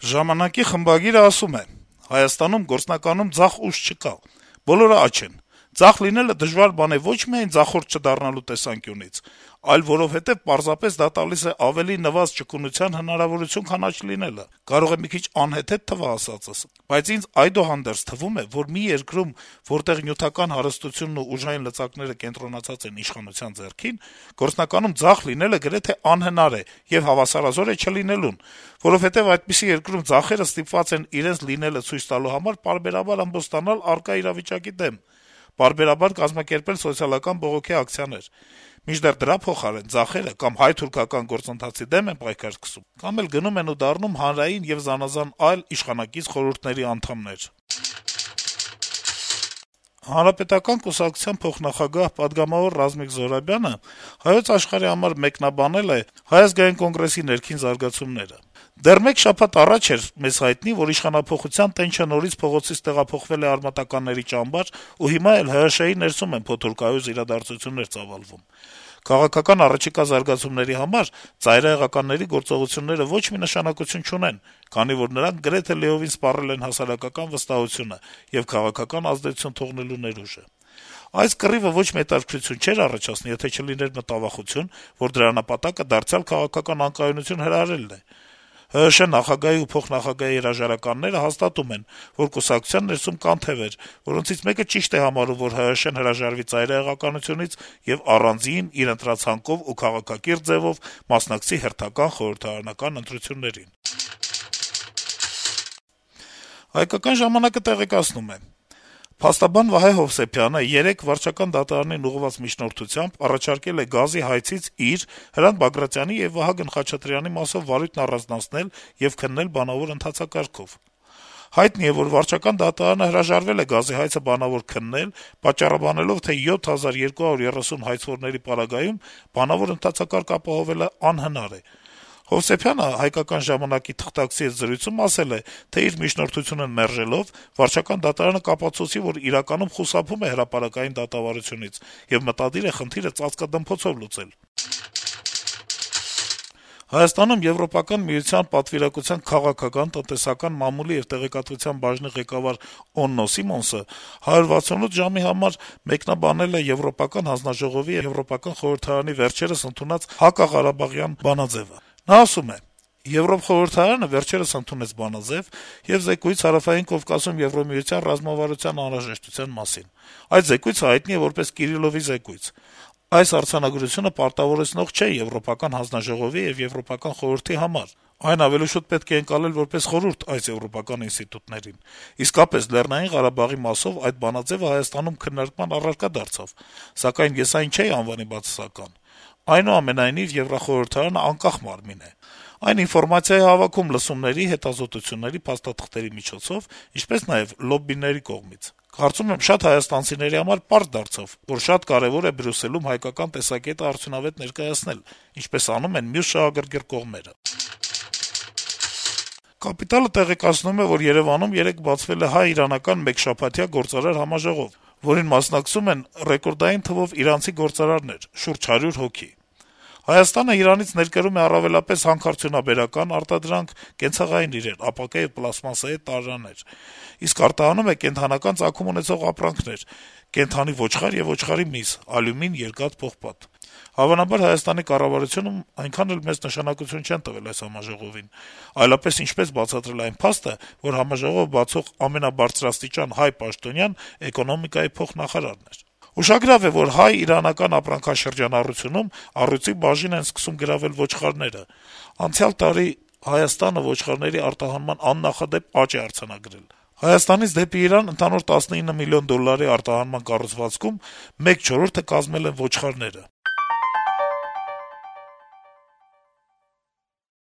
Ժամանակի խմբագիրը ասում է. - «Հայաստանում գործնականում ձախ ուժ չկա, բոլորը աջ են: Ձախ լինելը դժվար բան է ոչ միայն ձախորդ չդառնալու տեսանկյունից, այլ որովհետեւ պարզապես դա տալիս է ավելի նվազ ճկունության հնարավորություն, քան աջ լինելը: Կարող է մի քիչ անհեթեթ թվա ասածս, բայց ինձ այդուհանդերձ թվում է, որ մի երկրում, որտեղ նյութական հարստությունն ու ուժային լծակները կենտրոնացած են իշխանության ձեռքին, գործնականում ձախ լինելը գրեթե անհնար է եւ հավասարազոր է չլինելուն, որովհետեւ այդպիսի երկրում ձախերը ստիպված են իրենց լինելը ցույց տալու համար պարբերաբար ըմբոստանալ առկա իրավիճակի դեմ, պարբերաբար կազմակերպել սոցիալական բողոքի ակցիաներ: Մինչդեռ դրա փոխարեն ձախերը կամ հայ-թուրքական գործընթացի դեմ են պայքար սկսում, կամ էլ գնում են ու դառնում հանրային եւ զանազան այլ իշխանակից խորհուրդների անդամներ»: Հանրապետական կուսակցության փոխնախագահ, պատգամավոր Ռազմիկ Զոհրաբյանը «Հայոց Աշխարհ»-ի համար մեկնաբանել է Հայ ազգային կոնգրեսի ներքին զարգացումները. - «Դեռ մեկ շաբաթ առաջ էր մեզ հայտնի, որ իշխանափոխության տենչը նորից փողոցից տեղափոխվել է արմատականների ճամբար, ու հիմա էլ ՀՀՇ-ի ներսում են փոթորկայոց իրադարձություններ ծավալվում: Քաղաքական առաջիկա զարգացումների համար ծայրահեղականների գործողությունները ոչ մի նշանակություն չունեն, քանի որ նրանք գրեթե լիովին սպառել են հասարակական վստահությունը եւ քաղաքական ազդեցություն թողնելու ներուժը: Այս կռիվը ոչ մի հետաքրքրություն չէր առաջացնի, եթե չլիներ մտավախություն, որ դրա նպատակը դարձյալ քաղաքական անկայունություն հրահրելն է: ՀՀՇ նախագահի ու փոխնախագահի հրաժարականները հաստատում են, որ կուսակցության ներսում կան թեւեր, որոնցից մեկը ճիշտ է համարում, որ ՀՀՇ-ն հրաժարվի ծայրահեղականությունից եւ առանձին, իր ընտրած հանքով ու քաղաքակիրթ ձեւով մասնակցի հերթական խորհրդարանական ընտրություններին»: «Հայկական ժամանակ»-ը տեղեկացնում է. - «Փաստաբան Վահե Հովսեփյանը երեկ վարչական դատարանին ուղղված միջնորդությամբ առաջարկել է գազի հայցից իր, Հրանտ Բագրատյանի եւ Վահագն Խաչատրյանի մասով վարույթն առանձնացնել եւ քննել բանավոր ընթացակարգով: Հայտնի է, որ վարչական դատարանը հրաժարվել է գազի հայցը բանավոր քննել` պատճառաբանելով, թե 7230 հայցվորների պարագայում բանավոր ընթացակարգ ապահովելը անհնար է: Հովսեփյանը «Հայկական ժամանակ»-ի թղթակցի հետ զրույցում ասել է, թե իր միջնորդությունը մերժելով` վարչական դատարանը կապացուցի, որ իրականում խուսափում է հրապարակային դատավարությունից եւ մտադիր է խնդիրը ծածկադմփոցով լուծել: Հայաստանում Եվրոպական միության պատվիրակության քաղաքական, տնտեսական, մամուլի եւ տեղեկատվության բաժնի ղեկավար Օննո Սիմոնսը 168 ժամ»-ի համար մեկնաբանել է Եվրոպական հանձնաժողովի եւ Եվրոպական խորհրդարանի վերջերս ընդունած հակաղարաբաղյան բանաձեւը: Նա ասում է. - «Եվրոխորհրդարանը վերջերս ընդունեց բանաձեւ եւ զեկույց Հարավային Կովկասում Եվրամիության ռազմավարության անհրաժեշտության մասին: Այդ զեկույցը հայտնի է որպես Կիրիլովի զեկույց: Այս արձանագրությունը պարտավորեցնող չէ Եվրոպական հանձնաժողովի եւ Եվրոպական խորհրդի համար: Այն ավելի շուտ պետք է ընկալել որպես խորհուրդ այս եվրոպական ինստիտուտներին: Իսկապես, Լեռնային Ղարաբաղի մասով այդ բանաձեւը Հայաստանում քննարկման առարկա դարձավ, սակայն ես այն չէի անվանի բացասական: Այնուամենայնիվ, Եվրախորհրդարանը անկախ մարմին է: Այն ինֆորմացիա է հավաքում լսումների, հետազոտությունների, փաստաթղթերի միջոցով, ինչպես նաեւ լոբբիների կողմից: Կարծում եմ, շատ հայաստանցիների համար պարզ դարձավ, որ շատ կարեւոր է Բրյուսելում հայկական տեսակետը արդյունավետ ներկայացնել, ինչպես անում են մյուս շահագրգիռ կողմերը»: «Կապիտալ»-ը տեղեկացնում է, որ Երեւանում երեկ բացվել է հայ-իրանական մեկշաբաթյա գործարար համաժողով, որին մասնակցում են ռեկորդային թվով իրանցի գործարարներ` շուրջ 100 հոգի: Հայաստանը Իրանից ներկրում է առավելապես հանքարդյունաբերական արտադրանք, կենցաղային իրեր, ապակե եւ պլաստմասսայե տարրեր, իսկ արտահանում է կենդանական ծագում ունեցող ապրանքներ` կենդանի ոչխար եւ ոչխարի միս, ալյումին, երկաթ, պողպատ: Հավանաբար Հայաստանի կառավարությունում այնքան էլ մեծ նշանակություն չեն տվել այս համաժողովին, այլապես ինչպես բացատրել այն փաստը, որ համաժողովը բացող ամենաբարձրաստիճան հայ պաշտոնյան էկոնոմիկայի փոխնախարարն էր: Ուշագրավ է, որ հայ-իրանական ապրանքաշրջանառությունում առյուծի բաժին են սկսում գրավել ոչխարները: Անցյալ տարի Հայաստանը ոչխարների արտահանման աննախադեպ աճ է արձանագրել: Հայաստանից դեպի Իրան ընդհանուր $19 միլիոն արտահանման կառուցվածքում մեկ չորրորդը կազմել են ոչխարները: